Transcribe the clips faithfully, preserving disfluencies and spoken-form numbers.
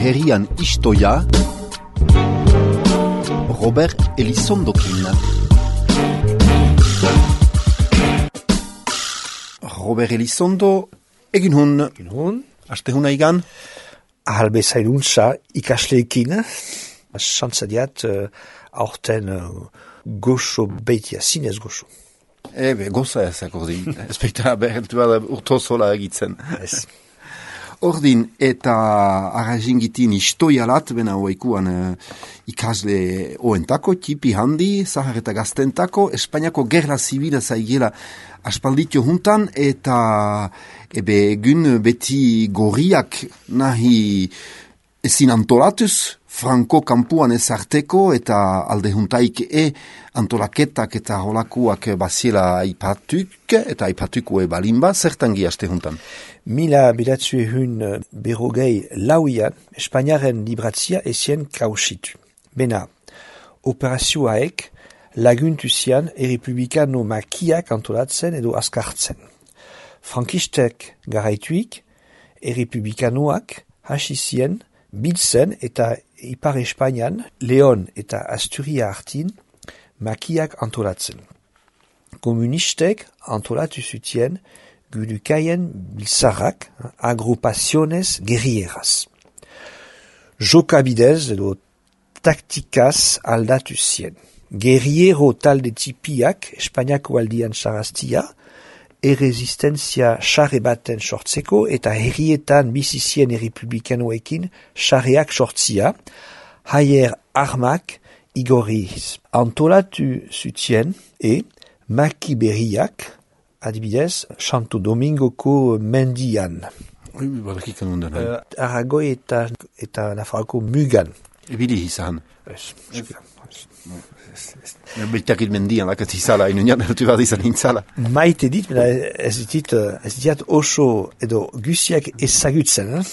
herrian istoia Robert Elizondokin. Robert Elizondo, egin hun, Egin hun. aste huna igan? Ahalbe zailuntza ikasleekin, santzadiat uh, aurten uh, goxo beitia, zinez goxo. Ebe, goza ez akordin. Espektara behentu bada urto zola egitzen. Ez. Ordin, eta arrazingitin istoialat, bena hoaikuan uh, ikasle oentako, tipi handi, zahar eta gaztentako, Espainiako gerla zibila zaigela aspalditio juntan, eta ebe egun beti gorriak nahi ezin antolatuz, Franco kampuan ezarteko, eta alde juntaik e antolaketak eta holakuak baziela aipatuk, eta aipatukue balimba, zertan giaste juntan? Mila bidatzu ehun berrogei lauian, Espainiaren libratzia ezien kausitu. Bena, operazioaek laguntu zian errepublikano makiak antolatzen edo askartzen. Frankistek garaituik, errepublikanoak hasi zien biltzen eta Ipar Espainian, Leon eta Asturia hartin makiak antolatzen. Komunistek antolatu zutien gudukaien biltzarrak, agrupaciones guerrilleras. Jokabidez edo taktikaz aldatu zien. Guerriero talde tipiak Espainiako aldian saraztia, erresistenzia xarre baten sortzeko eta herrietan bizizien errepublikanoekin xarreak sortzia, haier armak igorriz. Antolatu zutien e maki berriak, adibidez, Santo Domingoko mendian. Ui, badakikan ondan. Uh, Aragoi eta, eta Nafarroko mugan. Ebili izan. Ez, Beltakit mendian, lakat izala, inunian ertu bat izan intzala. maite dit, mena ez dit, ez dit oso edo guziak ezagutzen, eh?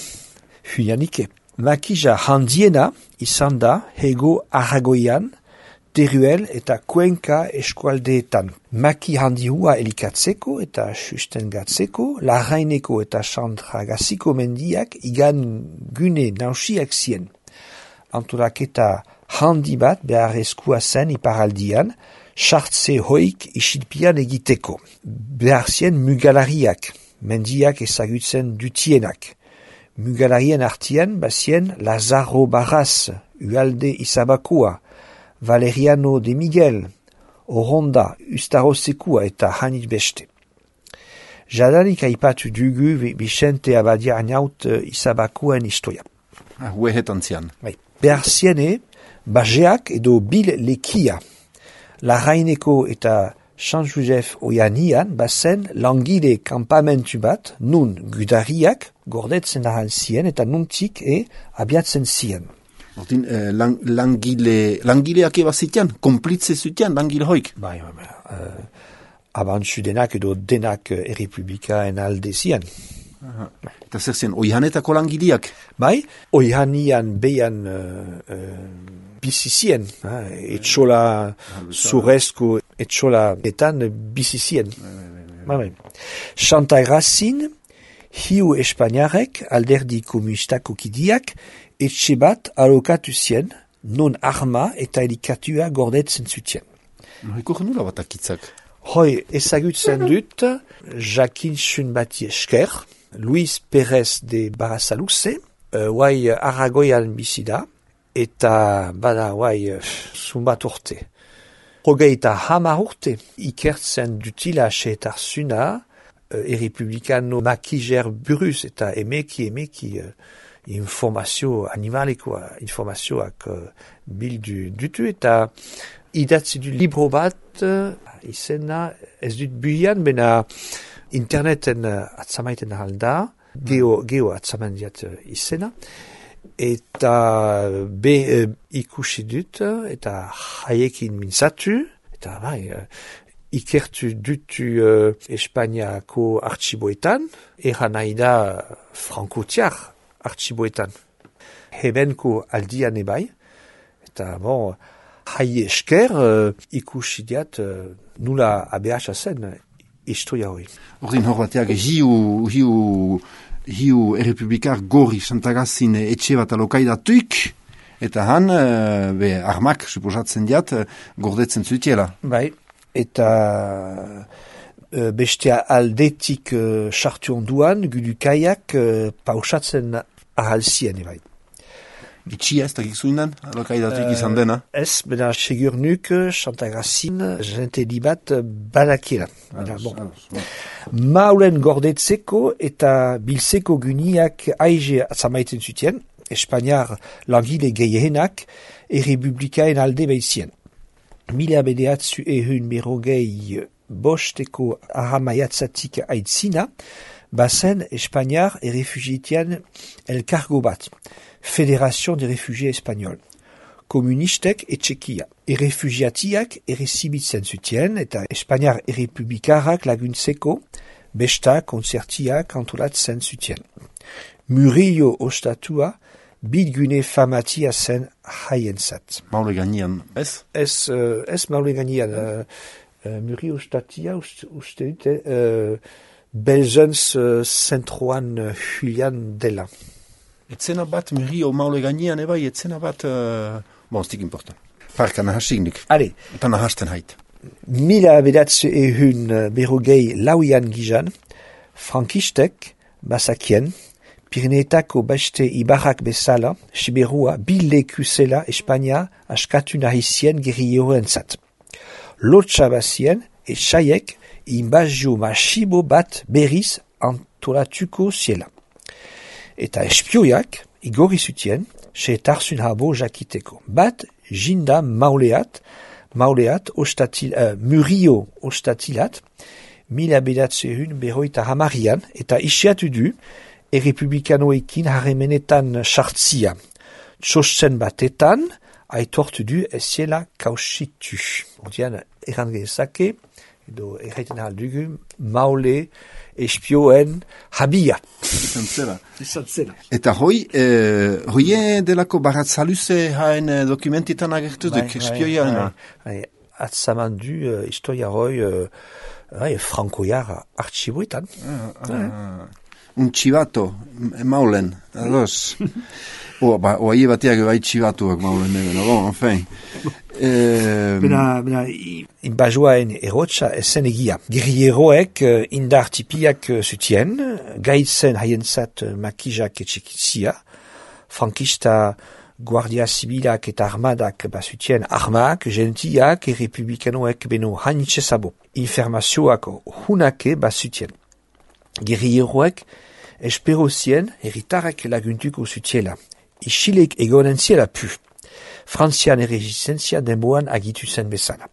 Huianike. Makija handiena izan da hego Aragoian, Teruel eta Cuenca eskualdeetan. Maki handihua elikatzeko eta sustengatzeko, Larraineko eta Sandragaziko mendiak igan gune nausiak zien. Antolaketa handi bat beharrezkoa zen iparaldian, sartze hoik isilpian egiteko. Behar zien mugalariak, mendiak ezagutzen dutienak. Mugalarien artian bazien Lazaro Barras, Ualde Izabakua, Valeriano de Miguel, Oronda, Ustarosekua eta hanit beste. Jadanik aipatu dugu Vicente Abadia Anaut Izabakuen istoia. Ah, huehetan zian. Bai. Behar ziene, bajeak edo bil lekia. Larraineko eta San Josef oianian bazen langile kampamentu bat, nun gudariak gordetzen ahal zien eta nuntik e abiatzen zien. Ordin, eh, lang, langile, langileak ebazitian, komplitze zutian, langile hoik. Bai, bai, bai. Uh, abantzu denak edo denak uh, errepublikaen alde zien. Aha. Eta zer zen, oihanetako langileak? Bai, oihanian behan uh, uh, bizizien, uh, etxola zurezko etxola etan bizizien. Bai, bai. Santa Grazin, hiu Espainiarek alderdi komunistako kidiak etxe bat alokatu zien, non arma eta elikatua gordetzen zutien. No, ikur nula bat akitzak? Hoi, ezagutzen dut, jakintzun bati esker, Luis Pérez de Barasaluze, uh, guai Aragoian bizida, eta bada guai uh, zumbat urte. Hogeita hamar urte, ikertzen dutila xeetarzuna, uh, errepublikano makijer buruz, eta emeki, emeki, uh, informazio animalikoa, informazioak uh, bildu dutu, eta idatzi du libro bat, uh, izena, ez dut buian, bena interneten uh, atzamaiten halda, geo, geo atzaman diat uh, izena, eta be uh, ikusi dut, uh, eta haiekin mintzatu, eta bai, uh, ikertu dutu uh, Espainiako artxiboetan, eran nahi da frankotiar artxiboetan. Hebenko aldian ebai, eta bon, hai esker uh, ikusi diat uh, nula abeasa zen historia hori. Ordin hor bateak hiu, hiu hiu errepublikar gorri Santagazin etxe bat alokaidatuik, eta han, uh, be, armak, suposatzen diat, uh, gordetzen zutiela. Bai, eta uh, bestea aldetik sartu uh, onduan, gudukaiak uh, pausatzen ahalzien, bai. Itxia ez dakik zuindan, alokaidatuik izan dena? Ez, bena segur nuk, Santagazin, jente libat badakiela. Bon. Maulen gordetzeko eta biltzeko guniak aize atzamaiten zutien, Espainiar langile gehienak errepublikaen alde behizien. Mila bedeatzu ehun berrogei bosteko ahamaiatzatik aitzina, bazen Espainiar errefugitian elkargo bat. Fédération des réfugiés espagnols. Komunistek etxekia. Errefugiatiak errezibitzen zutien eta Espainiar errepublikarrak laguntzeko besta konzertiak antolatzen zutien. Murillo ostatua bilgune famatia zen haientzat. Maule gainean, ez? Ez, uh, ez maule gainean. Uh, uh, Murillo ostatia uste, uste dute uh, belzens uh, zentroan uh, Julian dela. Etzena bat Murillo maule gainean, ebai, etzena bat, uh, bon, stik important. Parka nahasik Ale. Eta nahasten hait. Mila bedatze ehun berrogei lauian gizan, frankistek, basakien, Pirinetako beste ibarrak bezala, Siberua bileku zela Espainia askatu nahizien gerrioen zat. Lotsa bazien, etxaiek, inbazio masibo bat berriz antolatuko ziela. Eta espioiak, igorri zutien, seetarzun habo jakiteko. Bat, jinda mauleat, mauleat, ostatil, uh, Murillo ostatilat, mila bedatzehun berroita hamarian, eta isiatu du, errepublikanoekin harremenetan sartzia. Txosten batetan, aitortu du eziela kausitu. Ordean, erran gezake, edo erraiten aldugu, maule, espioen habia. Izan zela. Izan zela. Eta hoi, eh, hoie delako baratzaluze haen eh, dokumentitan agertu duk, espioia ena. Atzaman du, uh, historia hoi, uh, uh, frankoiar artxiboetan. Ah, ah. Un txibato, maulen, ados. O, ba, oaie bateak bai txibatuak maulen, no, bon, enfin. Eh, Bena, bena, inbajoaen erotxa esen egia. Gerrieroek uh, indar tipiak uh, zutien, gaitzen haientzat uh, makijak etxekizia, frankista guardia zibilak eta armadak bazutien armak, gentiak e republikanoek beno hanitxezabo. Informazioak hunake bazutien. Gerrieroek esperozien herritarrak laguntuko zutiela. Isilek egonen ziela pu. Frantzian errezistentzia denboan agitu zen bezala.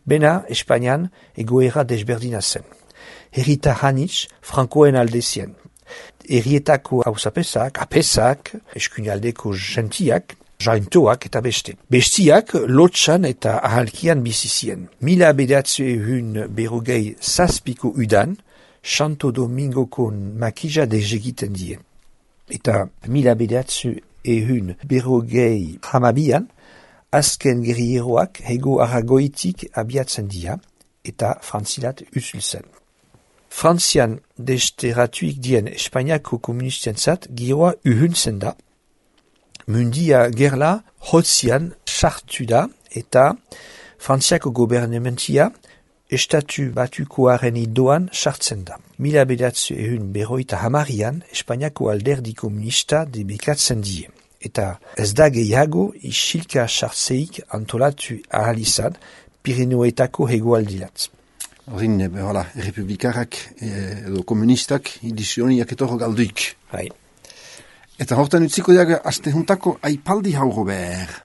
Bena, Espainian egoera desberdina zen. Herritar hanitz, frankoen aldezien. Herrietako hausapesak, apesak, eskuinaldeko gentiak, jaintoak eta beste. Bestiak lotxan eta ahalkian bizizien. Mila bedatze ehun berrogei zazpiko udan, Santo Domingoko makija dezegiten die. Eta mila bedatze ehun berrogei hamabian, azken gerrieroak hego aragoitik abiatzen dia, eta frantzilat usulzen. Frantzian desteratuik dien Espainiako komunistientzat giroa uhuntzen da, mundia gerla hotzian sartu da, eta Frantziako gobernementia estatu batukoaren idoan sartzen da. Mila bedatze ehun berroita hamarian, Espainiako alderdi komunista debekatzen die. Eta ez da gehiago isilka sartzeik antolatu ahal izan Pirinioetako hegoaldilat. Horin, hala, republikarrak edo komunistak edizioniak etorro galduik. Hai. Eta hortan utziko diaga aste juntako aipaldi hauro behar.